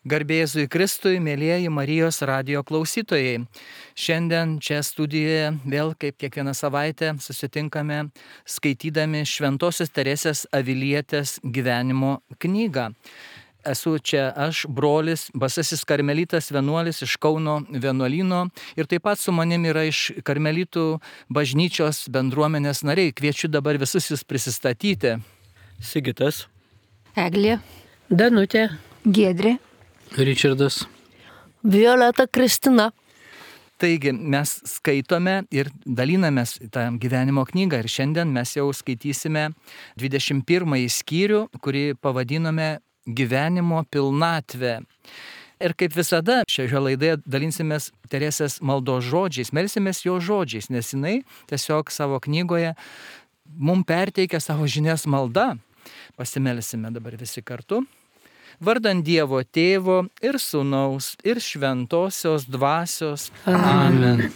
Garbė Jėzui Kristui, mėlyjeji Marijos radijo klausytojai. Šiandien čia studijoje vėl kaip kiekvieną savaitę susitinkame skaitydami Šventosios Teresės Avilietės gyvenimo knygą. Esu čia aš, brolis, basasis karmelitas vienuolis iš Kauno vienuolyno ir taip pat su manimi yra iš karmelitų bažnyčios bendruomenės nariai. Kviečiu dabar visus jūs prisistatyti. Sigitas, Eglė, Danutė, Giedrė, Ričardas, Violeta, Kristina. Taigi mes skaitome ir dalinamės tą gyvenimo knygą ir šiandien mes jau skaitysime 21 skyrių, kurį pavadinome gyvenimo pilnatvė. Ir kaip visada šioje laidoje dalinsimės Teresės maldos žodžiais, melsimės jo žodžiais, nes jinai tiesiog savo knygoje mums perteikia savo žinias malda. Pasimelsime dabar visi kartu. Vardant Dievo Tėvo ir Sūnaus ir Šventosios Dvasios. Amen.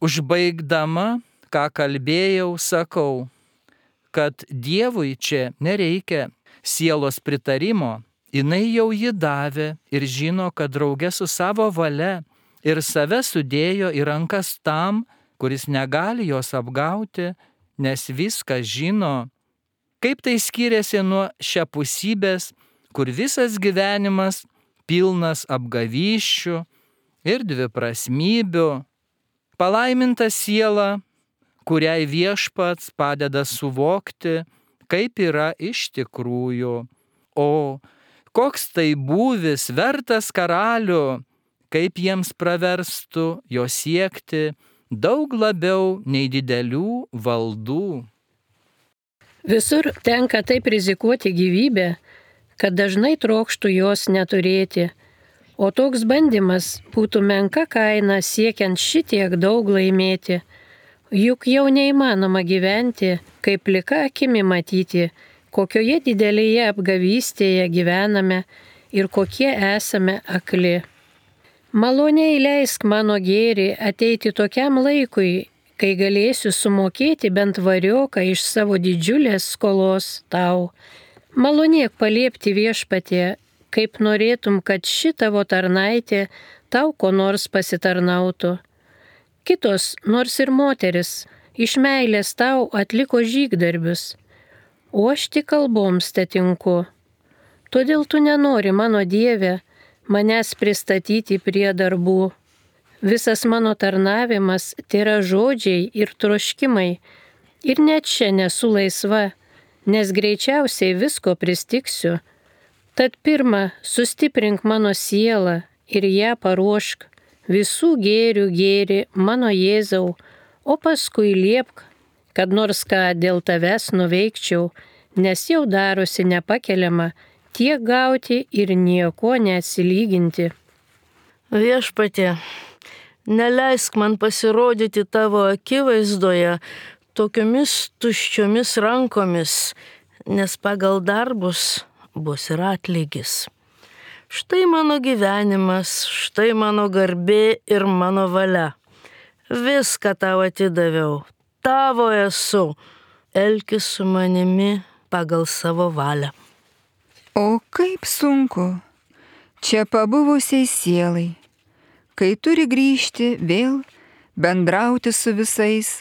Užbaigdama, ką kalbėjau, sakau, kad Dievui čia nereikia sielos pritarimo, jinai jau jį davė ir žino, kad drauge su savo valia ir save sudėjo į rankas tam, kuris negali jos apgauti, nes viską žino. Kaip tai skiriasi nuo šiapusybės, kur visas gyvenimas pilnas apgavysčių ir dviprasmybių. Palaiminta siela, kuriai Viešpats padeda suvokti, kaip yra iš tikrųjų. O koks tai būvis vertas karalių, kaip jiems praverstų jo siekti daug labiau nei didelių valdų. Visur tenka taip rizikuoti gyvybę, kad dažnai trokštų jos neturėti, o toks bandymas būtų menka kaina siekiant šitiek daug laimėti. Juk jau neįmanoma gyventi, kaip plika akimi matyti, kokioje didelėje apgavystėje gyvename ir kokie esame akli. Maloniai leisk mano gėrį ateiti tokiam laikui, kai galėsiu sumokėti bent varioką iš savo didžiulės skolos tau. Malonėk paliepti Viešpatie, kaip norėtum, kad ši tavo tarnaitė tau ko nors pasitarnautų. Kitos, nors ir moteris, iš meilės tau atliko žygdarbius, o aš tik kalboms tetinku. Todėl tu nenori, mano Dieve, manęs pristatyti prie darbų. Visas mano tarnavimas tai yra žodžiai ir troškimai, ir net čia nesu laisva, nes greičiausiai visko pristiksiu. Tad pirma, sustiprink mano sielą ir ją paruošk, visų gėrių gėri mano Jėzau, o paskui liepk, kad nors ką dėl tavęs nuveikčiau, nes jau darosi nepakeliama tiek gauti ir nieko neatsilyginti. Viešpatie, neleisk man pasirodyti tavo akivaizdoje tokiomis tuščiomis rankomis, nes pagal darbus bus ir atlygis. Štai mano gyvenimas, štai mano garbė ir mano valia. Viską tau atidaviau, tavo esu, elkis su manimi pagal savo valią. O kaip sunku čia pabuvusiai sielai, kai turi grįžti vėl, bendrauti su visais,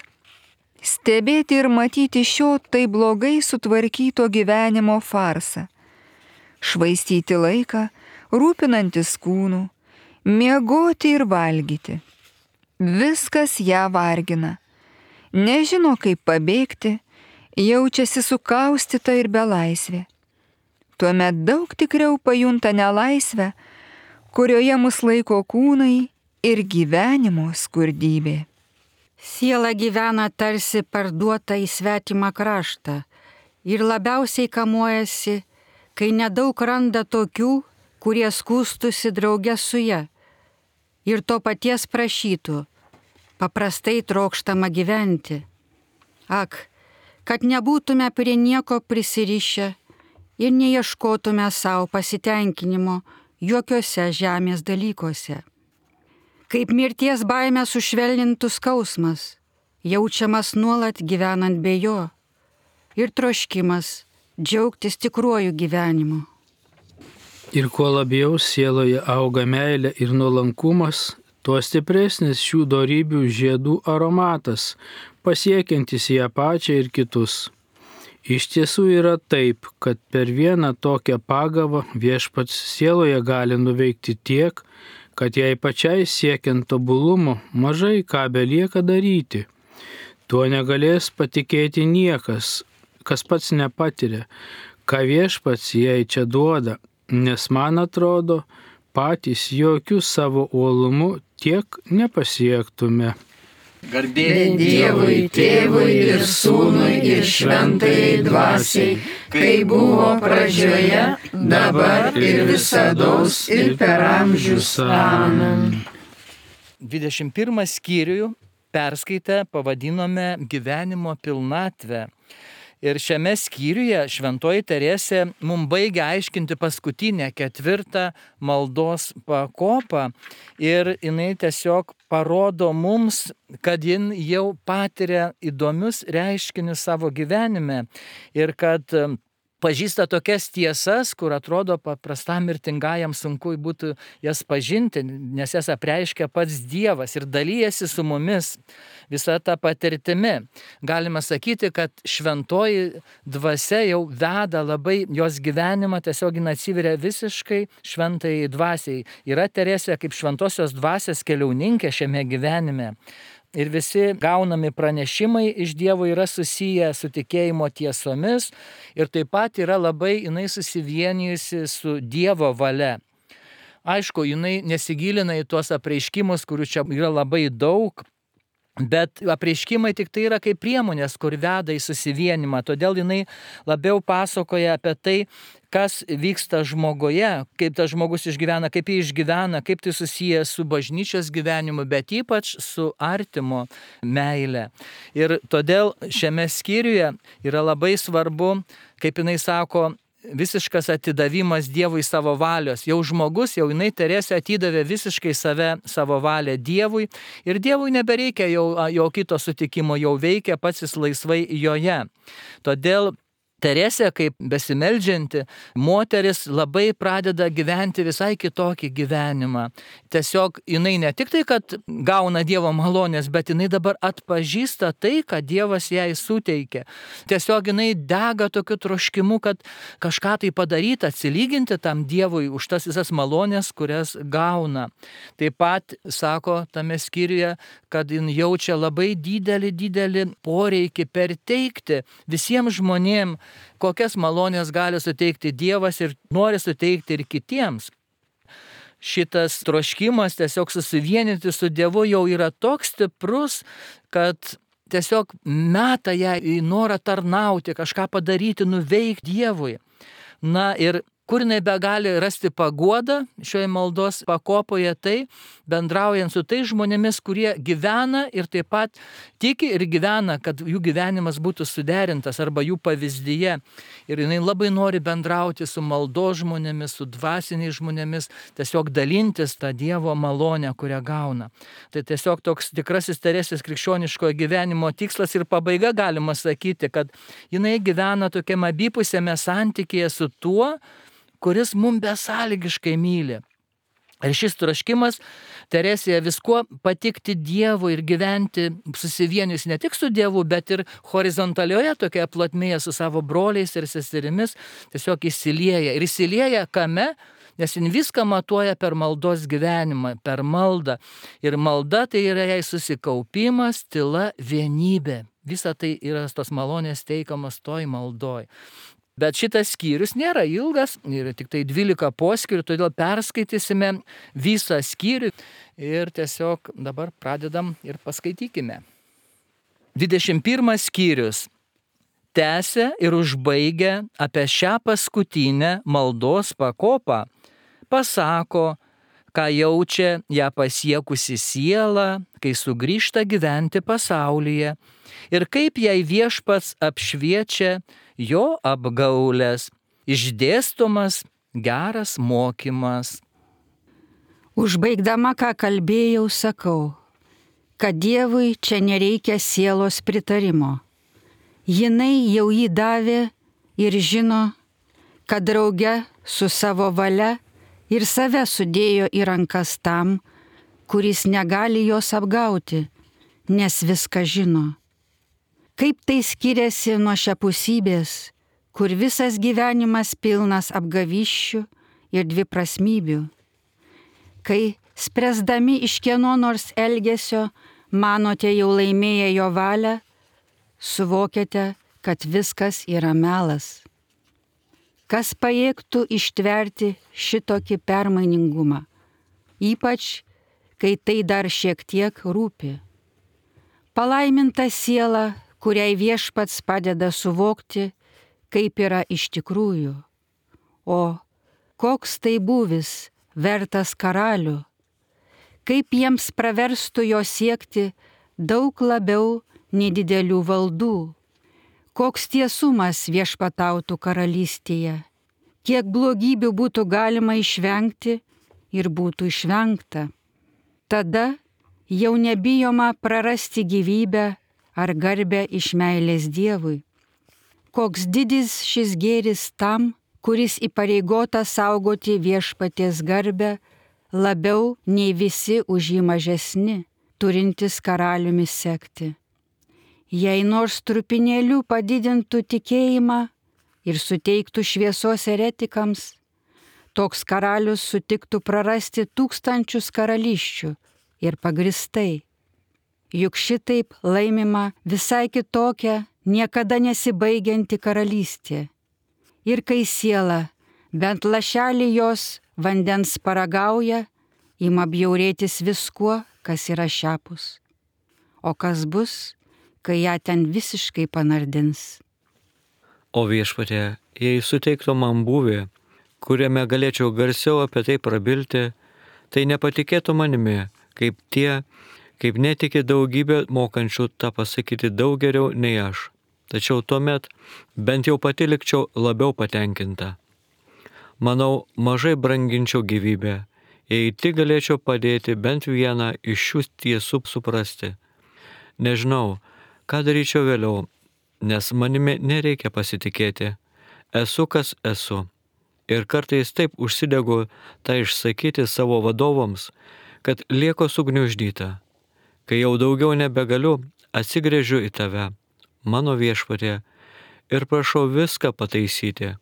stebėti ir matyti šio tai blogai sutvarkyto gyvenimo farsą, švaistyti laiką, rūpinantis kūnų, miegoti ir valgyti. Viskas ją vargina, nežino kaip pabėgti, jaučiasi sukaustyta ir belaisvė. Tuomet daug tikriau pajunta nelaisvę, kurioje mus laiko kūnai ir gyvenimo skurdybė. Siela gyvena tarsi parduota į svetimą kraštą ir labiausiai kamuojasi, kai nedaug randa tokių, kurie skųstusi drauge su ja ir to paties prašytų, paprastai trokštama gyventi. Ak, kad nebūtume prie nieko prisirišę ir neieškotume savo pasitenkinimo jokiuose žemės dalykuose. Kaip mirties baimę sušvelnintų skausmas, jaučiamas nuolat gyvenant be jo, ir troškimas džiaugtis tikruoju gyvenimu. Ir kuo labiau sieloje auga meilė ir nuolankumas, tuo stipresnis šių dorybių žiedų aromatas, pasiekiantis ją pačią ir kitus. Iš tiesų yra taip, kad per vieną tokią pagavą Viešpats sieloje gali nuveikti tiek, kad jai pačiai siekiant tobulumo mažai ką belieka daryti. Tuo negalės patikėti niekas, kas pats nepatiria, ką Viešpats jai čia duoda, nes man atrodo, patys jokių savo uolumu tiek nepasiektume. Garbė Dievui, Tėvui ir Sūnui ir Šventajai Dvasiai, kai buvo pradžioje, dabar ir visados ir per amžius. Amen. 21 skyrių perskaitę pavadinome gyvenimo pilnatvę. Ir šiame skyriuje Šventoji Teresė mums baigia aiškinti paskutinę 4 maldos pakopą ir jinai tiesiog parodo mums, kad jin jau patiria įdomius reiškinius savo gyvenime ir kad pažįsta tokias tiesas, kur atrodo paprastam mirtingajam sunku būtų jas pažinti, nes jas apreiškia pats Dievas ir dalyjasi su mumis visą tą patirtimi. Galima sakyti, kad Šventoji Dvasia jau veda labai jos gyvenimą, tiesiog jin atsiveria visiškai Šventajai Dvasiai. Yra Teresė kaip Šventosios Dvasios keliauninkė šiame gyvenime. Ir visi gaunami pranešimai iš Dievo yra susiję su tikėjimo tiesomis ir taip pat yra labai jinai susivienijusi su Dievo valia. Aišku, jinai nesigilina į tuos apreiškimus, kurių čia yra labai daug, bet apreiškimai tik tai yra kaip priemonės, kur veda į susivienimą. Todėl jinai labiau pasakoja apie tai, kas vyksta žmoguje, kaip tas žmogus išgyvena, kaip jį išgyvena, kaip tai susiję su bažnyčios gyvenimu, bet ypač su artimo meile. Ir todėl šiame skyriuje yra labai svarbu, kaip jinai sako, visiškas atidavimas Dievui savo valios. Jau žmogus, jau jinai Teresė atidavė visiškai save, savo valią Dievui ir Dievui nebereikia jo kito sutikimo, jau veikia pats jis laisvai joje. Todėl Teresė, kaip besimeldžianti moteris, labai pradeda gyventi visai kitokį gyvenimą. Tiesiog jinai ne tik tai, kad gauna Dievo malonės, bet jinai dabar atpažįsta tai, ką Dievas jai suteikia. Tiesiog jinai dega tokiu troškimu, kad kažką tai padaryti, atsilyginti tam Dievui už tas visas malonės, kurias gauna. Taip pat sako tame skyriuje, kad jin jaučia labai didelį poreikį perteikti visiems žmonėms, kokias malonės gali suteikti Dievas ir nori suteikti ir kitiems. Šitas troškimas tiesiog susivienyti su Dievu jau yra toks stiprus, kad tiesiog meta ją į norą tarnauti, kažką padaryti, nuveikti Dievui. Na ir kur jinai begali rasti paguodą šioje maldos pakopoje, tai bendraujant su tais žmonėmis, kurie gyvena ir taip pat tiki ir gyvena, kad jų gyvenimas būtų suderintas arba jų pavyzdyje. Ir jinai labai nori bendrauti su maldos žmonėmis, su dvasiniais žmonėmis, tiesiog dalintis tą Dievo malonę, kurią gauna. Tai tiesiog toks tikrasis Teresės krikščioniškojo gyvenimo tikslas ir pabaiga, galima sakyti, kad jinai gyvena tokiam abipusėme santykėje su tuo, kuris mums besąlygiškai myli. Ir šis troškimas Teresėje viskuo patikti Dievui ir gyventi susivienius ne tik su Dievu, bet ir horizontalioje tokioje plotmėje su savo broliais ir seserimis tiesiog įsilieja. Ir įsilieja kame? Nes jin viską matuoja per maldos gyvenimą, per maldą. Ir malda tai yra jai susikaupimas, tyla, vienybė. Visa tai yra tos malonės teikamas toj maldoj. Bet šitas skyrius nėra ilgas, yra tik tai 12 poskyrių, todėl perskaitysime visą skyrių ir tiesiog dabar pradedam ir paskaitykime. 21 skyrius. Tęsia ir užbaigia apie šią paskutinę maldos pakopą. Pasako, ką jaučia ją pasiekusi siela, kai sugrįžta gyventi pasaulyje ir kaip jai Viešpats apšviečia jo apgaulės, išdėstomas geras mokymas. Užbaigdama, ką kalbėjau, sakau, kad Dievui čia nereikia sielos pritarimo. Jinai jau jį davė ir žino, kad drauge su savo valia ir save sudėjo į rankas tam, kuris negali jos apgauti, nes viską žino. Kaip tai skiriasi nuo šiapusybės, kur visas gyvenimas pilnas apgavysčių ir dviprasmybių. Kai spręsdami iš kieno nors elgesio manote jau laimėję jo valią, suvokiate, kad viskas yra melas. Kas pajėgtų ištverti šitokį permainingumą, ypač kai tai dar šiek tiek rūpi. Palaiminta siela, kuriai Viešpats padeda suvokti, kaip yra iš tikrųjų. O koks tai būvis vertas karalių, kaip jiems praverstų jo siekti daug labiau nei didelių valdų. Koks tiesumas viešpatautų karalystėje, kiek blogybių būtų galima išvengti ir būtų išvengta. Tada jau nebijoma prarasti gyvybę ar garbę iš meilės Dievui. Koks didis šis gėris tam, kuris įpareigota saugoti viešpaties garbę labiau nei visi už jį mažesni, turintys karaliumi sekti. Jei nors trupinėlių padidintų tikėjimą ir suteiktų šviesos eretikams, toks karalius sutiktų prarasti tūkstančius karalysčių ir pagristai. Juk šitaip laimima visai kitokia, niekada nesibaigianti karalystė. Ir kai siela, bent lašelį jos vandens paragauja, ima bjaurėtis viskuo, kas yra šiapus. O kas bus, kai ją ten visiškai panardins? O Viešpatie, jei suteiktų man būvį, kuriame galėčiau garsiau apie tai prabilti, tai nepatikėtų manimi, kaip netiki daugybė mokančių tą pasakyti daug geriau nei aš. Tačiau tuomet bent jau pati likčiau labiau patenkinta. Manau, mažai branginčiau gyvybę, jei tik galėčiau padėti bent vieną iš šių tiesų suprasti. Nežinau, ką daryčiau vėliau, nes manimi nereikia pasitikėti. Esu, kas esu. Ir kartais taip užsidegu tą išsakyti savo vadovams, kad lieku sugniuždyta. Kai jau daugiau nebegaliu, atsigręžiu į tave, mano Viešpatie, ir prašau viską pataisyti.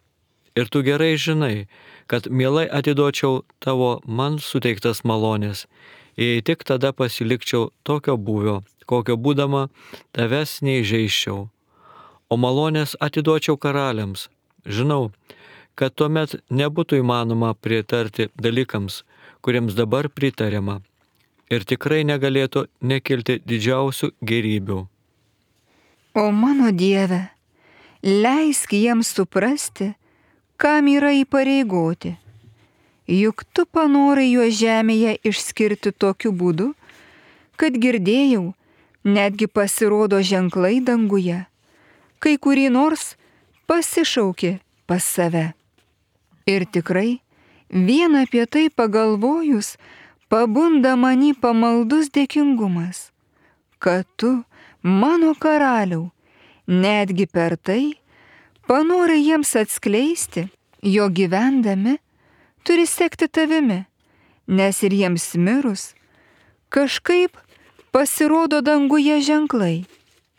Ir tu gerai žinai, kad mielai atiduočiau tavo man suteiktas malonės, jei tik tada pasilikčiau tokio būvio, kokio būdama tavęs neįžeisčiau. O malonės atiduočiau karaliams. Žinau, kad tuomet nebūtų įmanoma pritarti dalykams, kuriems dabar pritariama. Ir tikrai negalėtų nekilti didžiausių gėrybių. O mano Dieve, leisk jiems suprasti, kam yra įpareigoti. Juk tu panorai juos žemėje išskirti tokiu būdu, kad girdėjau, netgi pasirodo ženklai danguje, kai kurį nors pasišaukė pas save. Ir tikrai, vien apie tai pagalvojus, pabunda many pamaldus dėkingumas, kad tu, mano karaliau, netgi per tai panorai jiems atskleisti, jo gyvendami turi sekti tavimi, nes ir jiems mirus kažkaip pasirodo danguje ženklai,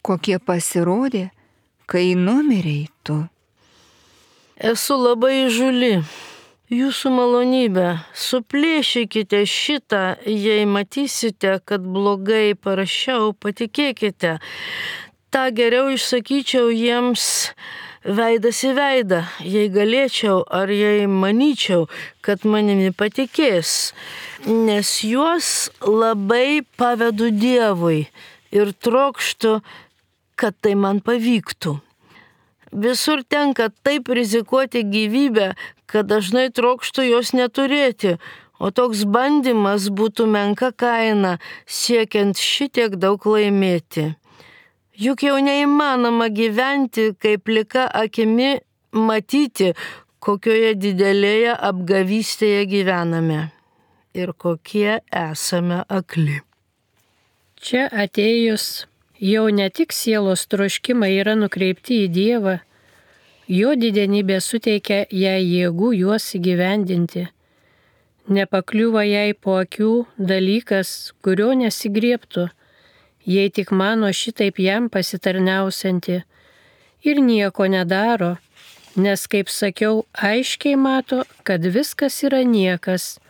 kokie pasirodė, kai numirei tu. Esu labai įžūli. Jūsų malonybė, suplėšykite šitą, jei matysite, kad blogai parašiau, patikėkite. Ta geriau išsakyčiau jiems veidas į veidą, jei galėčiau ar jei manyčiau, kad manimi patikės. Nes juos labai pavedu Dievui ir trokštu, kad tai man pavyktų. Visur tenka taip rizikuoti gyvybę, kad dažnai trokštu jos neturėti, o toks bandymas būtų menka kaina, siekiant šitiek daug laimėti. Juk jau neįmanoma gyventi, kaip plika akimi matyti, kokioje didelėje apgavystėje gyvename ir kokie esame akli. Čia atėjus jau ne tik sielos troškimai yra nukreipti į Dievą, Jo didenybė suteikia jai jėgų juos įgyvendinti. Nepakliūva jai po akių dalykas, kurio nesigriebtų, jei tik mano šitaip jam pasitarniausianti, ir nieko nedaro, nes, kaip sakiau, aiškiai mato, kad viskas yra niekas,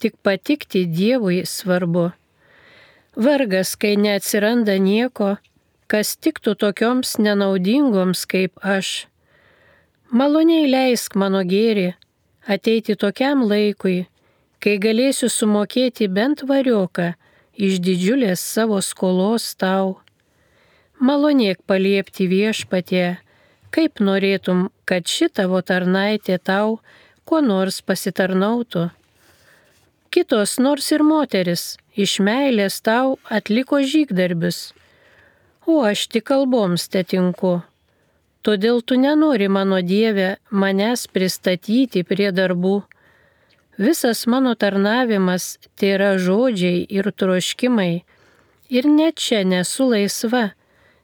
tik patikti Dievui svarbu. Vargas, kai neatsiranda nieko, kas tiktų tokioms nenaudingoms kaip aš. Maloniai leisk mano gėrį ateiti tokiam laikui, kai galėsiu sumokėti bent varioką iš didžiulės savo skolos tau. Malonėk paliepti Viešpatie, kaip norėtum, kad ši tavo tarnaitė tau kuo nors pasitarnautų. Kitos, nors ir moteris, iš meilės tau atliko žygdarbius, o aš tik kalboms tetinku. Todėl tu nenori, mano Dieve, manęs pristatyti prie darbų. Visas mano tarnavimas tai yra žodžiai ir troškimai, ir net čia nesu laisva,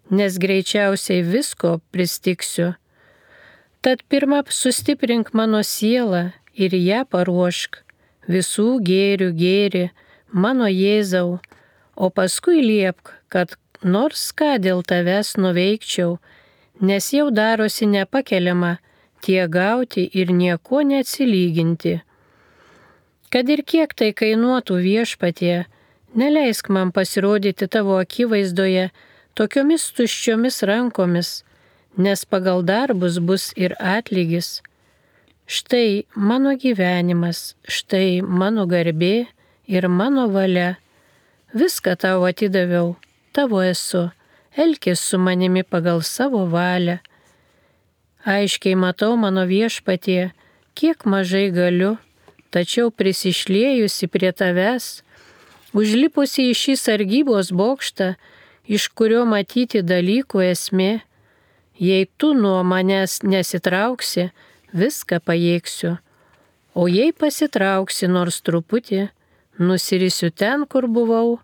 nes greičiausiai visko pristiksiu. Tad pirmą sustiprink mano sielą ir ją paruošk, visų gėrių gėri, mano Jėzau, o paskui liepk, kad nors ką dėl tavęs nuveikčiau, nes jau darosi nepakeliama tiek gauti ir nieko neatsilyginti. Kad ir kiek tai kainuotų Viešpatie, neleisk man pasirodyti tavo akivaizdoje tokiomis tuščiomis rankomis, nes pagal darbus bus ir atlygis. Štai mano gyvenimas, štai mano garbė ir mano valia. Viską tau atidaviau, tavo esu, elkis su manimi pagal savo valią. Aiškiai matau, mano Viešpatie, kiek mažai galiu, tačiau prisišliejusi prie tavęs, užlipusi į šį sargybos bokštą, iš kurio matyti dalykų esmė, jei tu nuo manęs nesitrauksi, viską pajėgsiu, o jei pasitrauksi nors truputį, nusirisiu ten, kur buvau,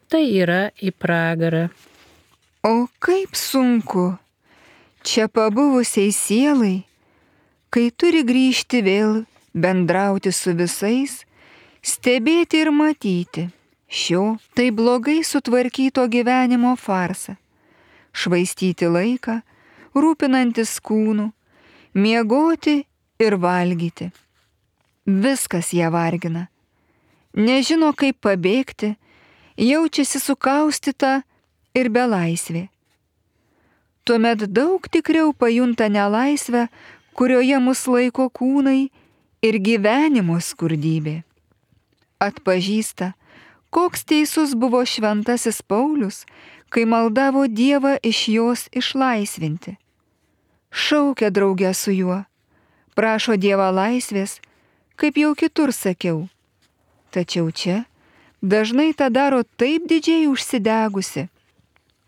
tai yra į pragarą. O kaip sunku čia pabuvusiai sielai, kai turi grįžti vėl, bendrauti su visais, stebėti ir matyti šio tai blogai sutvarkyto gyvenimo farsą, švaistyti laiką, rūpinantis kūnu, miegoti ir valgyti. Viskas ją vargina. Nežino, kaip pabėgti, jaučiasi sukaustyta ir belaisvė. Tuomet daug tikriau pajunta nelaisvę, kurioje mus laiko kūnai ir gyvenimo skurdybė. Atpažįsta, koks teisus buvo šventasis Paulius, kai maldavo Dievą iš jos išlaisvinti. Šaukia draugę su juo, prašo Dievą laisvės, kaip jau kitur sakiau. Tačiau čia dažnai tą daro taip didžiai užsidegusi,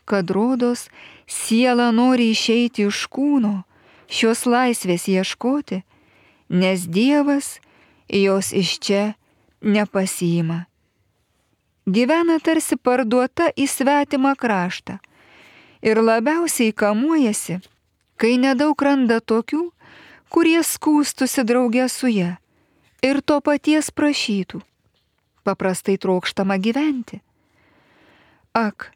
kad rodos siela nori išeiti iš kūno, šios laisvės ieškoti, nes Dievas jos iš čia nepasiima. Gyvena tarsi parduota į svetimą kraštą ir labiausiai kamuojasi, kai nedaug randa tokių, kurie skųstusi drauge su ja ir to paties prašytų. Paprastai trokštama gyventi. Ak,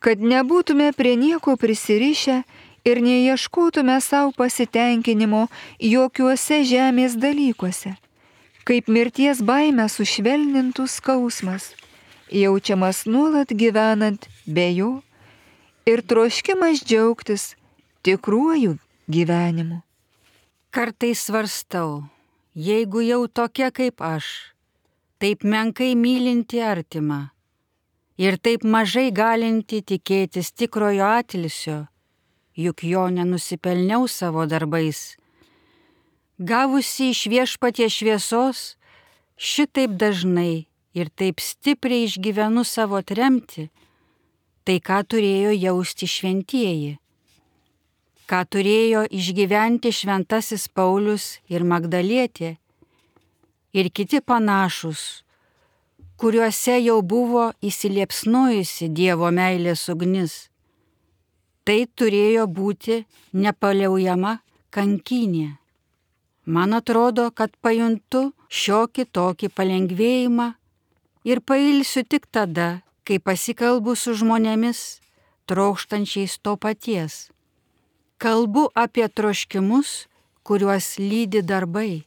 kad nebūtume prie nieko prisirišę ir neieškotume savo pasitenkinimo jokiuose žemės dalykuose, kaip mirties baimę sušvelnintų skausmas, jaučiamas nuolat gyvenant be jo ir troškimas džiaugtis tikruoju gyvenimu. Kartais svarstau, jeigu jau tokia kaip aš, taip menkai mylinti artimą ir taip mažai galinti tikėtis tikrojo atilsio, juk jo nenusipelniau savo darbais. Gavusi iš Viešpaties šviesos, šitaip dažnai ir taip stipriai išgyvenu savo tremtį, tai ką turėjo jausti šventieji, ką turėjo išgyventi šventasis Paulius ir Magdalietė ir kiti panašus, kuriuose jau buvo įsiliepsnojusi Dievo meilės ugnis. Tai turėjo būti nepaliaujama kankynė. Man atrodo, kad pajuntu šiokį tokį palengvėjimą ir pailsiu tik tada, kai pasikalbu su žmonėmis, trokštančiais to paties. Kalbu apie troškimus, kuriuos lydi darbai.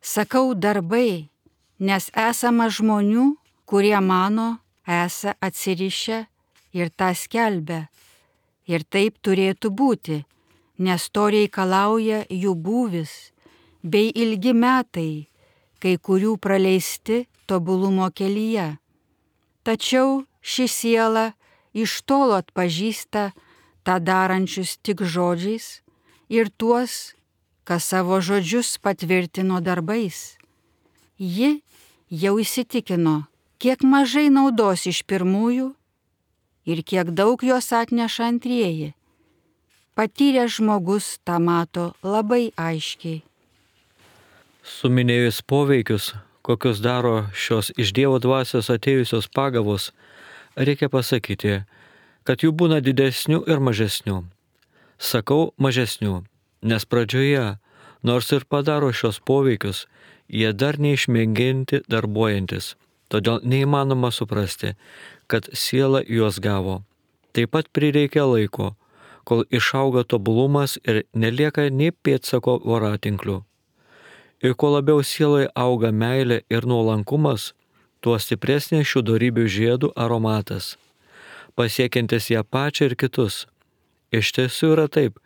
Sakau darbai, nes esama žmonių, kurie mano, esą atsirišę ir tą skelbia. Ir taip turėtų būti, nes to reikalauja jų būvis bei ilgi metai, kai kurių praleisti tobulumo kelyje. Tačiau ši siela iš tolo atpažįsta tą darančius tik žodžiais ir tuos, kas savo žodžius patvirtino darbais. Ji jau įsitikino, kiek mažai naudos iš pirmųjų ir kiek daug jos atneša antrieji. Patyręs žmogus tą mato labai aiškiai. Suminėjus poveikius, kokius daro šios iš Dievo dvasios atėjusios pagavos, reikia pasakyti, kad jų būna didesnių ir mažesnių. Sakau mažesnių, nes pradžioje, nors ir padaro šios poveikius, jie dar neišmėginti darbuojantis, todėl neįmanoma suprasti, kad siela juos gavo. Taip pat prireikia laiko, kol išauga tobulumas ir nelieka nei pėdsako voratinklių. Ir kuo labiau sieloje auga meilė ir nuolankumas, tuo stipresnė šių dorybių žiedų aromatas, pasiekiantis ją pačią ir kitus. Iš tiesų yra taip,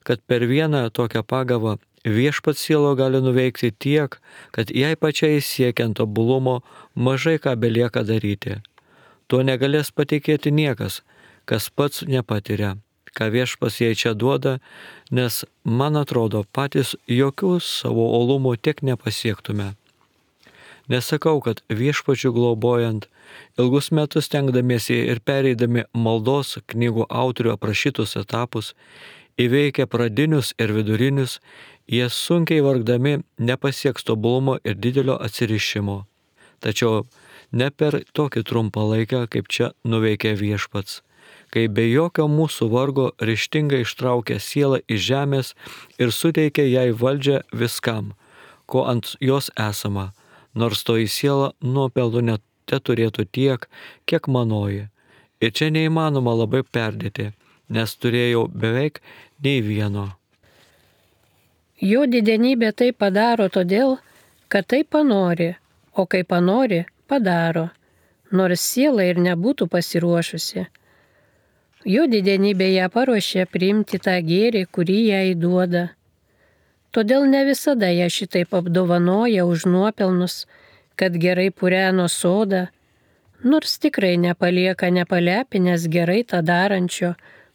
kad per vieną tokią pagavą viešpats sielo gali nuveikti tiek, kad jai pačiai siekiant tobulumo mažai ką belieka daryti. Tuo negalės patikėti niekas, kas pats nepatiria, ką viešpats jai čia duoda, nes, man atrodo, patys jokių savo olumų tiek nepasiektume. Nesakau, kad viešpačių globojant, ilgus metus stengdamiesi ir pereidami maldos knygų autorių aprašytus etapus, įveikę pradinius ir vidurinius, jie sunkiai vargdami nepasieks tobulumo ir didelio atsirišimo. Tačiau ne per tokį trumpą laiką, kaip čia nuveikė viešpats, kai be jokio mūsų vargo ryžtingai ištraukė sielą iš žemės ir suteikė jai valdžią viskam, ko ant jos esama, nors toji siela nuopelnų net turėtų tiek, kiek manoji. Ir čia neįmanoma labai perdėti, nes turėjau beveik nei vieno. Jo didenybė tai padaro todėl, kad tai panori, o kai panori, padaro, nors siela ir nebūtų pasiruošusi. Jo didenybė ją paruošė priimti tą gėrį, kurį jai duoda. Todėl ne visada ją šitaip apdovanoja už nuopelnus, kad gerai pureno sodą, nors tikrai nepalieka nepalepinęs gerai tą darančio,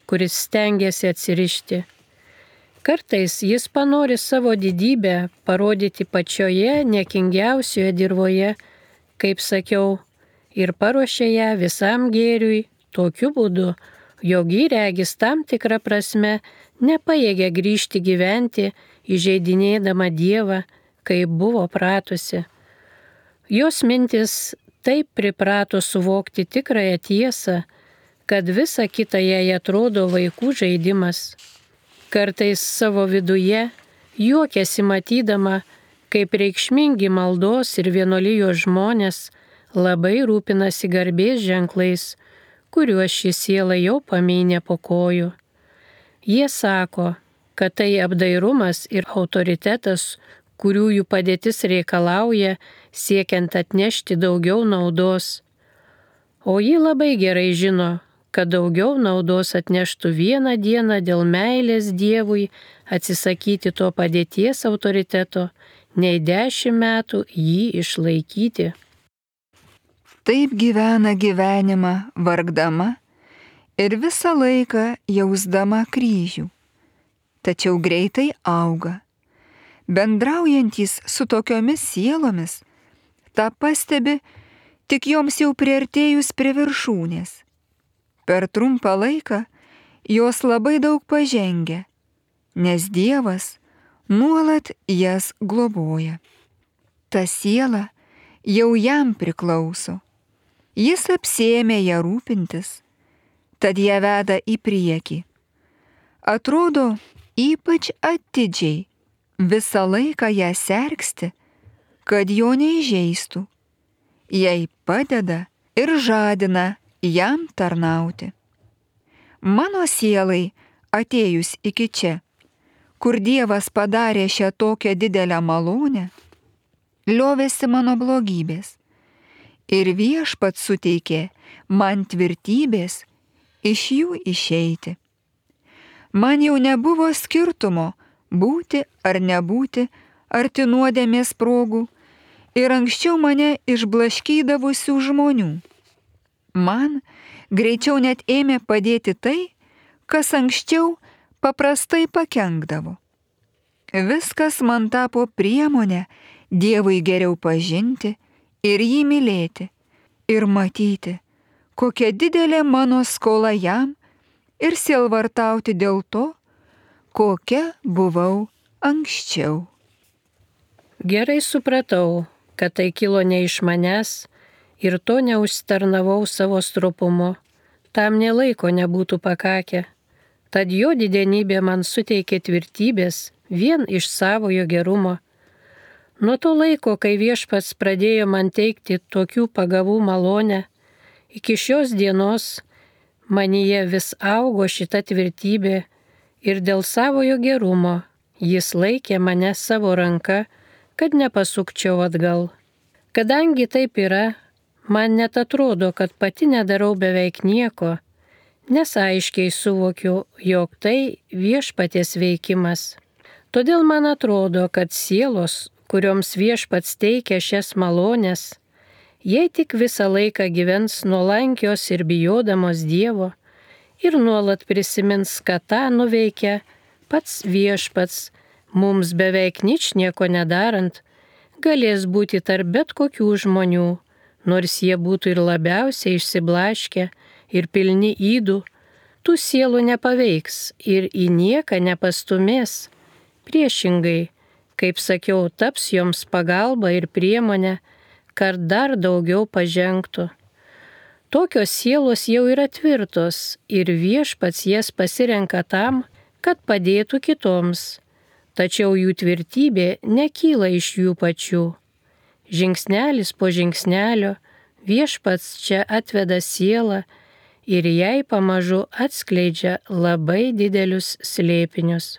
kuris stengiasi atsirišti. Kartais jis panori savo didybę parodyti pačioje niekingiausioje dirvoje, kaip sakiau, ir paruošia ją visam gėriui tokiu būdu, jog ji regis tam tikrą prasme nepajėgia grįžti gyventi, įžeidinėdama Dievą, kaip buvo pratusi. Jos mintis taip priprato suvokti tikrąją tiesą, kad visa kita jai atrodo vaikų žaidimas. Kartais savo viduje juokiasi matydama, kaip reikšmingi maldos ir vienuolijos žmonės labai rūpinasi garbės ženklais, kuriuos ši siela jau pamynė po kojų. Jie sako, kad tai apdairumas ir autoritetas, kurių jų padėtis reikalauja, siekiant atnešti daugiau naudos. O ji labai gerai žino, kad daugiau naudos atneštų vieną dieną dėl meilės Dievui atsisakyti to padėties autoriteto, nei 10 metų jį išlaikyti. Taip gyvena gyvenimą vargdama ir visą laiką jausdama kryžių, tačiau greitai auga. Bendraujantys su tokiomis sielomis, tą pastebi tik joms jau priartėjus prie viršūnės. Per trumpą laiką jos labai daug pažengia, nes Dievas nuolat jas globoja. Ta siela jau jam priklauso. Jis apsėmė ją rūpintis, tad ją veda į priekį. Atrodo, ypač atidžiai visą laiką ją sergsti, kad jo neįžeistų, jai padeda ir žadina jam tarnauti. Mano sielai atėjus iki čia, kur Dievas padarė šią tokią didelę malonę, liovėsi mano blogybės ir Viešpats suteikė man tvirtybės iš jų išeiti. Man jau nebuvo skirtumo būti ar nebūti arti nuodėmės progų ir anksčiau mane išblaškydavusių žmonių. Man greičiau net ėmė padėti tai, kas anksčiau paprastai pakenkdavo. Viskas man tapo priemonė Dievui geriau pažinti ir jį mylėti ir matyti, kokia didelė mano skola jam ir sielvartauti dėl to, kokia buvau anksčiau. Gerai supratau, kad tai kilo ne iš manęs ir to neužsitarnavau savo stropumu, tam nė laiko nebūtų pakakę. Tad jo didenybė man suteikė tvirtybės vien iš savojo gerumo. Nuo to laiko, kai Viešpats pradėjo man teikti tokių pagavų malonę, iki šios dienos manyje vis augo šita tvirtybė ir dėl savojo gerumo jis laikė mane savo ranka, kad nepasukčiau atgal. Kadangi taip yra, man net atrodo, kad pati nedarau beveik nieko, nes aiškiai suvokiu, jog tai Viešpaties veikimas. Todėl man atrodo, kad sielos, kurioms Viešpats teikia šias malonės, jei tik visą laiką gyvens nuolankios ir bijodamos Dievo ir nuolat prisimins, kad tą nuveikia pats Viešpats, mums beveik ničnieko nedarant, galės būti tarp bet kokių žmonių, nors jie būtų ir labiausiai išsiblaškę ir pilni ydų, tų sielų nepaveiks ir į nieką nepastumės. Priešingai, kaip sakiau, taps joms pagalba ir priemonė, kad dar daugiau pažengtų. Tokios sielos jau yra tvirtos ir Viešpats jas pasirenka tam, kad padėtų kitoms, tačiau jų tvirtybė nekyla iš jų pačių. Žingsnelis po žingsnelio Viešpats čia atveda sielą ir jai pamažu atskleidžia labai didelius slėpinius.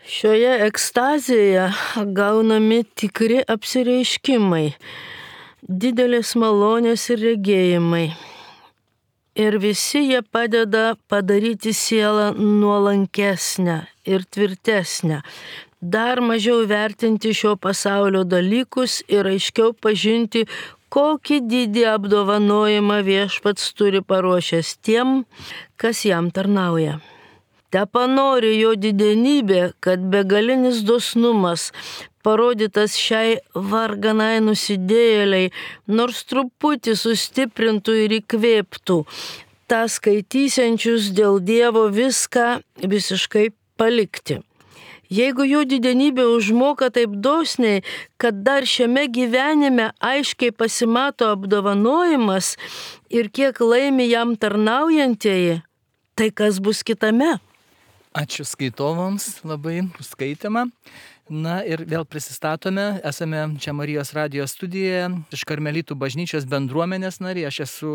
Šioje ekstazėje gaunami tikri apsireiškimai, didelės malonės ir regėjimai. Ir visi jie padeda padaryti sielą nuolankesnę ir tvirtesnę, dar mažiau vertinti šio pasaulio dalykus ir aiškiau pažinti, kokį didį apdovanojimą Viešpats turi paruošęs tiem, kas jam tarnauja. Tepanori jo didenybė, kad begalinis dosnumas, parodytas šiai varganai nusidėjėliai, nors truputį sustiprintų ir įkvėptų, tą skaitysiančius dėl Dievo viską visiškai palikti. Jeigu jo didenybė užmoka taip dosniai, kad dar šiame gyvenime aiškiai pasimato apdovanojimas ir kiek laimi jam tarnaujantieji, tai kas bus kitame? Ačiū skaitovams labai už skaitimą. Na ir vėl prisistatome, esame čia Marijos radijos studijoje iš Karmelitų bažnyčios bendruomenės nariai. Aš esu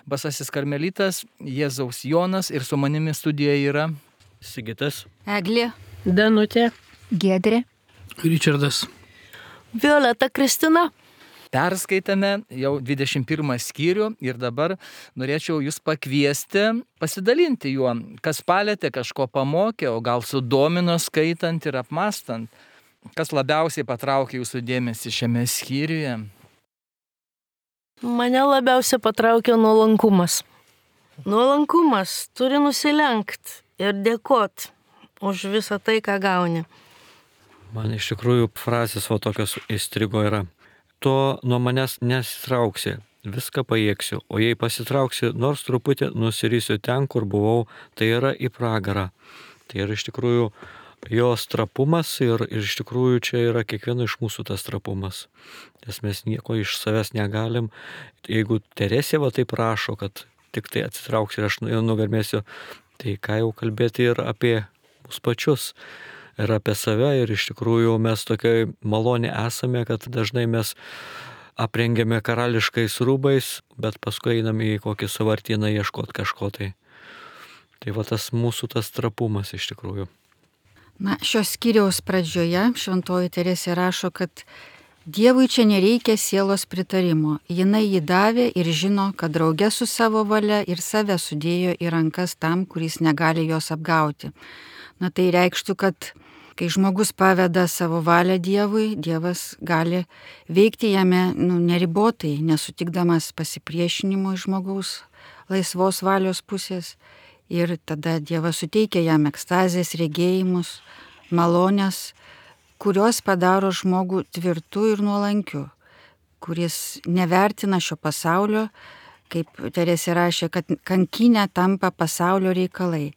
Basasis Karmelitas, Jėzaus Jonas ir su manimi studijoje yra Sigitas, Eglė, Danutė, Giedrė. Ričardas. Violeta Kristina. Perskaitėme jau 21 skyrių ir dabar norėčiau jūs pakviesti pasidalinti juo, kas palėtė, kažko pamokė, o gal sudomino skaitant ir apmastant. Kas labiausiai patraukė jūsų dėmesį šiame skyriuje? Mane labiausiai patraukė nuolankumas. Nuolankumas turi nusilenkti ir dėkot už visą tai, ką gauni. man iš tikrųjų frazės va tokios įstrigo yra. To nuo manęs nesitrauksi, viską pajėgsiu, o jei pasitrauksi, nors truputį nusirysiu ten, kur buvau, tai yra į pragarą. Tai yra iš tikrųjų jos trapumas ir iš tikrųjų čia yra kiekvieno iš mūsų tas trapumas. Nes mes nieko iš savęs negalim. Jeigu Teresė va taip prašo, kad tik tai atsitrauks ir aš nugarmėsiu, tai ką jau kalbėti ir apie mus pačius ir apie save. Ir iš tikrųjų mes tokiai malonė esame, kad dažnai mes aprengiame karališkais rūbais, bet paskui einame į kokį sąvartyną ieškoti kažko tai. Tai va tas mūsų tas trapumas iš tikrųjų. Na, šios skyriaus pradžioje šventoji Teresė rašo, kad Dievui čia nereikia sielos pritarimo. Jinai jį davė ir žino, kad drauge su savo valia ir save sudėjo į rankas tam, kuris negali jos apgauti. Na, tai reikštų, kad kai žmogus paveda savo valią Dievui, Dievas gali veikti jame neribotai, nesutikdamas pasipriešinimo iš žmogaus laisvos valios pusės. Ir tada Dievas suteikia jam ekstazės, regėjimus, malonės, kurios padaro žmogų tvirtu ir nuolankiu, kuris nevertina šio pasaulio, kaip Teresė rašė, kad kankinė tampa pasaulio reikalai.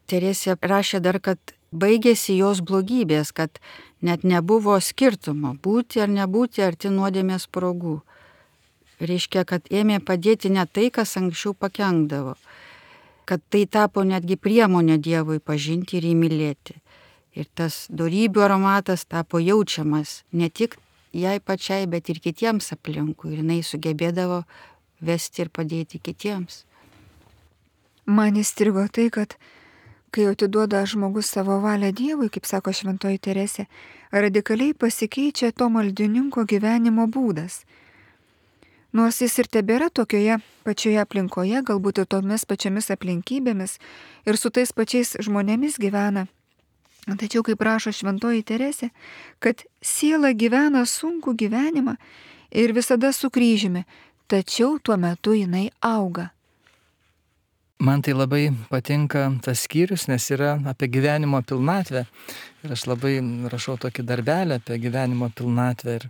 Teresė rašė dar, kad baigėsi jos blogybės, kad net nebuvo skirtumo būti ar nebūti arti nuodėmės progų. Reiškia, kad ėmė padėti ne tai, kas anksčiau pakenkdavo, kad tai tapo netgi priemonė Dievui pažinti ir įmylėti. Ir tas dorybių aromatas tapo jaučiamas ne tik jai pačiai, bet ir kitiems aplinkui. Ir jinai sugebėdavo vesti ir padėti kitiems. Man įstrigo tai, kad kai atiduoda žmogus savo valią Dievui, kaip sako šventoji Teresė, radikaliai pasikeičia to maldininko gyvenimo būdas. Nors jis ir tebėra tokioje pačioje aplinkoje, galbūt ir tomis pačiomis aplinkybėmis ir su tais pačiais žmonėmis gyvena. Tačiau, kaip rašo šventoji Teresė, kad siela gyvena sunkų gyvenimą ir visada su kryžiumi, tačiau tuo metu jinai auga. Man tai labai patinka tas skyrius, nes yra apie gyvenimo pilnatvę. Ir aš labai rašau tokį darbelį apie gyvenimo pilnatvę. Ir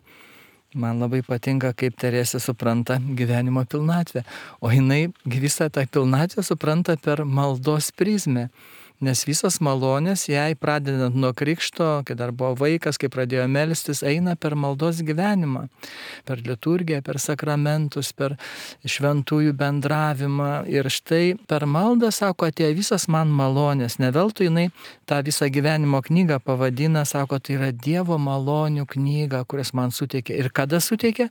man labai patinka, kaip Teresė supranta gyvenimo pilnatvę. O jinai visą tą pilnatvę supranta per maldos prizmę. Nes visos malonės jai pradedant nuo krikšto, kai dar buvo vaikas, kai pradėjo melstis, eina per maldos gyvenimą, per liturgiją, per sakramentus, per šventųjų bendravimą. Ir štai per maldą, sako, atėjo visas man malonės. Ne veltui jinai tą visą gyvenimo knygą pavadina, sako, tai yra Dievo malonių knyga, kurias man suteikė. Ir kada suteikė?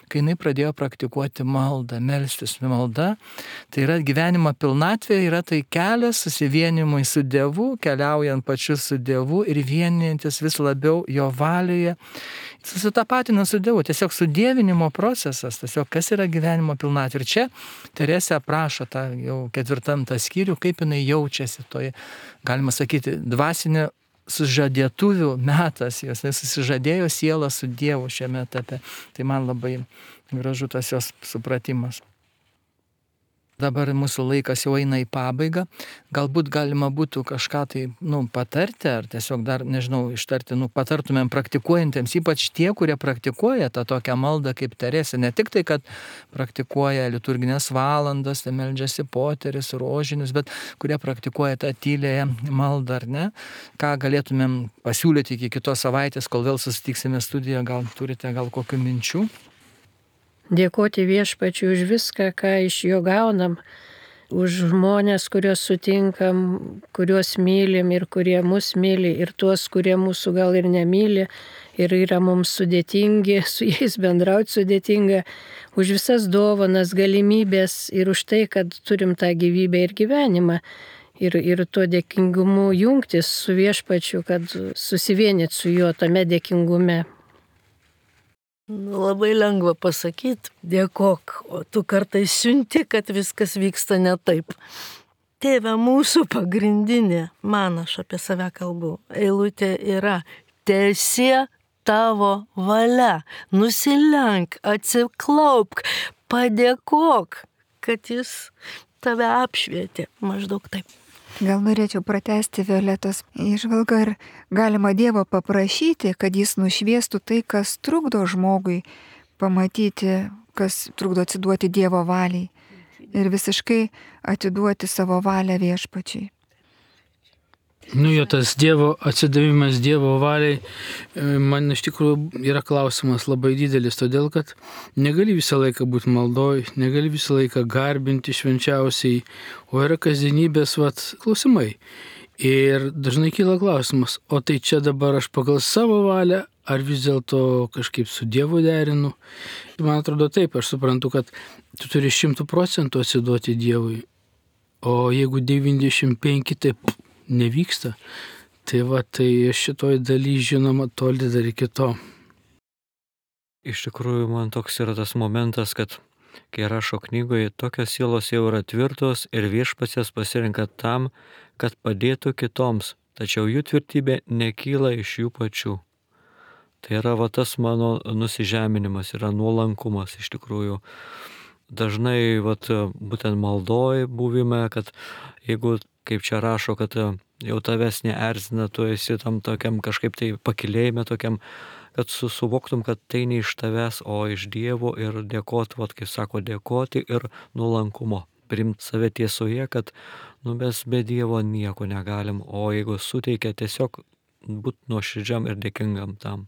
Kai jinai pradėjo praktikuoti maldą, melstis. Malda tai yra gyvenimo pilnatvė, yra tai kelias susivienimui su Dievu, keliaujant pačiu su Dievu ir vienijantis vis labiau jo valioje, susitapatinant su Dievu. Tiesiog sudievinimo procesas, tiesiog kas yra gyvenimo pilnatvė. Ir čia Teresė aprašo tą jau 4 skyrių, kaip jinai jaučiasi toje, galima sakyti, dvasinė sužadėtuvių metas, jos susižadėjo sielą su Dievu šiame etape. Tai man labai gražu tas jos supratimas. Dabar mūsų laikas jau eina į pabaigą. Galbūt galima būtų kažką tai patarti, ar tiesiog dar, nežinau, ištarti, patartumėm praktikuojantiems, ypač tie, kurie praktikuoja tą tokią maldą kaip Teresė. Ne tik tai, kad praktikuoja liturginės valandas, tai meldžiasi poteris, rožinius, bet kurie praktikuoja tą tylėją maldą, ar ne? Ką galėtumėm pasiūlyti iki kitos savaitės, kol vėl susitiksime studijoje, gal turite kokių minčių? Dėkoti Viešpačiui už viską, ką iš jo gaunam, už žmonės, kuriuos sutinkam, kuriuos mylim ir kurie mus myli, ir tuos, kurie mūsų gal ir nemyli, ir yra mums sudėtingi, su jais bendrauti sudėtinga, už visas dovanas, galimybės ir už tai, kad turim tą gyvybę ir gyvenimą. Ir tuo dėkingumu jungtis su Viešpačiu, kad susivienyti su juo tame dėkingume. Labai lengva pasakyti, dėkok, o tu kartais siunti, kad viskas vyksta ne taip. Tėve mūsų pagrindinė, man aš apie save kalbu, eilutė yra teesie tavo valia, nusilenk, atsiklaupk, padėkok, kad jis tave apšvietė, maždaug taip. Gal norėčiau pratęsti Violetos įžvalgą ir galima Dievo paprašyti, kad jis nušviestų tai, kas trukdo žmogui pamatyti, kas trukdo atsiduoti Dievo valiai ir visiškai atiduoti savo valią Viešpačiui. Jo tas Dievo atsidavimas Dievo valiai, man iš tikrųjų yra klausimas labai didelis, todėl kad negali visą laiką būti maldoj, negali visą laiką garbinti švenčiausiai, o yra kasdienybės klausimai. Ir dažnai kyla klausimas, o tai čia dabar aš pagal savo valią, ar vis dėlto kažkaip su Dievu derinu? Man atrodo taip, aš suprantu, kad tu turi 100% atsiduoti Dievui, o jeigu 95 taip nevyksta, tai šitoj daly žinoma toli dar iki to. Iš tikrųjų, man toks yra tas momentas, kad kai rašo knygoje, tokios sielos jau yra tvirtos ir viešpats jas pasirenka tam, kad padėtų kitoms, tačiau jų tvirtybė nekyla iš jų pačių. Tai yra tas mano nusižeminimas, yra nuolankumas iš tikrųjų. Dažnai būtent maldoj buvime, kad jeigu, kaip čia rašo, kad jau tavęs neerzina, tu esi tam tokiam kažkaip tai pakilėjime tokiam, kad suvoktum, kad tai ne iš tavęs, o iš Dievo ir dėkoti, kaip sako, dėkoti ir nuolankumo. Priimti save tiesoje, kad mes be Dievo nieko negalim, o jeigu suteikia, tiesiog būti nuoširdžiam ir dėkingam tam.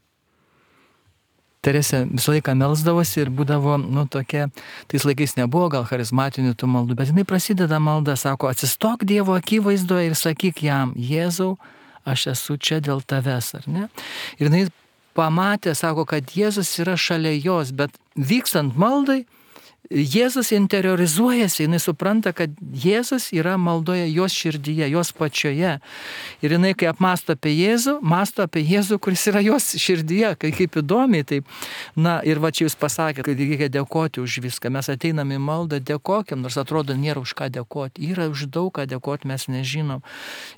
Teresė visą laiką melsdavosi ir būdavo, tokia, tais laikais nebuvo gal charizmatinių tų maldų, bet jinai prasideda malda, sako, atsistok Dievo akivaizdoje ir sakyk jam, Jėzau, aš esu čia dėl tavęs, ar ne? Ir jinai pamatė, sako, kad Jėzus yra šalia jos, bet vykstant maldai, Jėzus interiorizuojasi, jinai supranta, kad Jėzus yra maldoje jos širdyje, jos pačioje. Ir jinai, kai apmąsto apie Jėzų, mąsto apie Jėzų, kuris yra jos širdyje, kaip įdomiai. Taip. Ir čia jūs pasakėte, kad reikia dėkoti už viską. Mes ateiname į maldą, dėkokim, nors atrodo nėra už ką dėkoti. Yra už daug ką dėkoti, mes nežinom.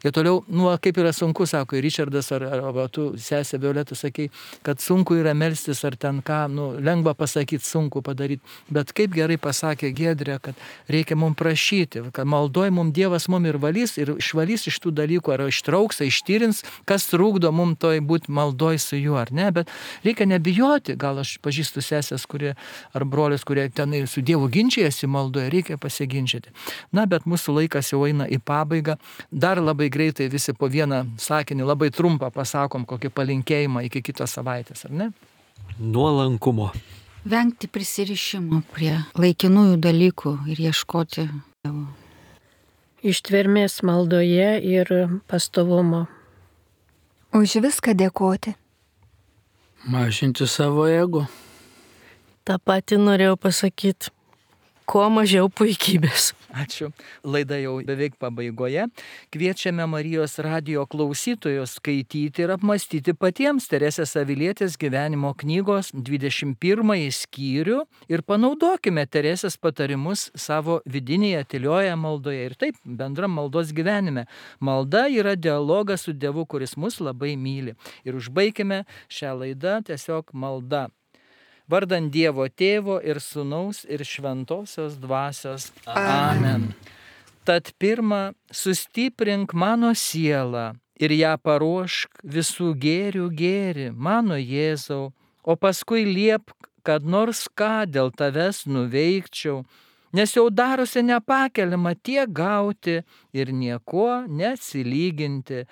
Ir toliau, kaip yra sunku, sako ir Ričardas, ar tu, sesė Violeta, sakei, kad sunku yra melstis, ar ten ką, lengva pasakyti, sunku padaryti. Bet kaip gerai pasakė Giedrė, kad reikia mums prašyti, kad maldoj mums Dievas mums ir valys, ir išvalys iš tų dalykų, ar ištrauks, ištyrins, kas trukdo mums toj būti maldoj su juo, ar ne, bet reikia nebijoti, gal aš pažįstu sesės, ar brolius, kurie tenai su Dievu ginčijasi maldoje, reikia pasiginčyti. Bet mūsų laikas jau eina į pabaigą, dar labai greitai visi po vieną sakinį, labai trumpą pasakom kokį palinkėjimą iki kitos savaitės, ar ne? Nuolankumo. Vengti prisirišimo prie laikinųjų dalykų ir ieškoti Dievo. Ištvermės maldoje ir pastovumo. Už viską dėkoti. Mažinti savo ego. Ta pati norėjau pasakyti. Kuo mažiau puikybės. Ačiū. Laida jau beveik pabaigoje. Kviečiame Marijos radijo klausytojus skaityti ir apmastyti patiems Teresės Avilietės gyvenimo knygos 21 skyrių ir panaudokime Teresės patarimus savo vidinėje tylioje maldoje ir taip bendram maldos gyvenime. Malda yra dialogas su Dievu, kuris mus labai myli. Ir užbaikime šią laidą tiesiog malda. Vardant Dievo Tėvo ir Sūnaus ir Šventosios Dvasios. Amen. Tad pirma, sustiprink mano sielą ir ją paruošk visų gėrių gėrį, mano Jėzau, o paskui liepk, kad nors ką dėl tavęs nuveikčiau, nes jau darosi nepakeliama tiek gauti ir niekuo neatsilyginti.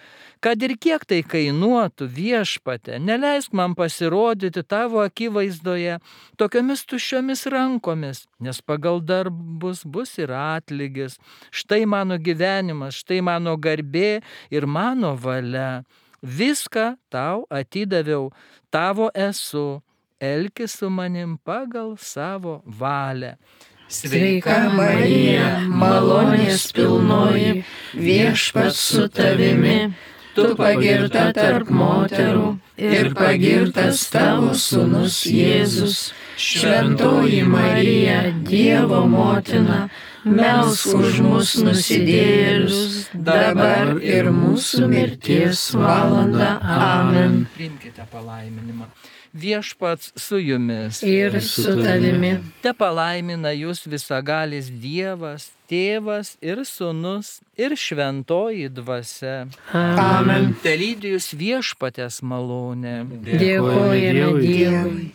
Kad ir kiek tai kainuotų, Viešpatie, neleisk man pasirodyti tavo akivaizdoje tokiomis tuščiomis rankomis, nes pagal darbus bus ir atlygis. Štai mano gyvenimas, štai mano garbė ir mano valia. Viską tau atidaviau, tavo esu, elkis su manim pagal savo valią. Sveika Marija, malonės pilnoji, Viešpats su tavimi, tu pagirta tarp moterų ir pagirtas tavo sūnus Jėzus. Šventoji Marija, Dievo motina, melsk už mus nusidėjėlius, dabar ir mūsų mirties valanda. Amen. Priimkite palaiminimą. Viešpats su jumis ir su tavimi. Te palaimina jūs visagalis Dievas, Tėvas ir Sūnus ir Šventoji Dvasia. Amen. Te lydi jūs Viešpaties malonė. Dėkojame Dievui.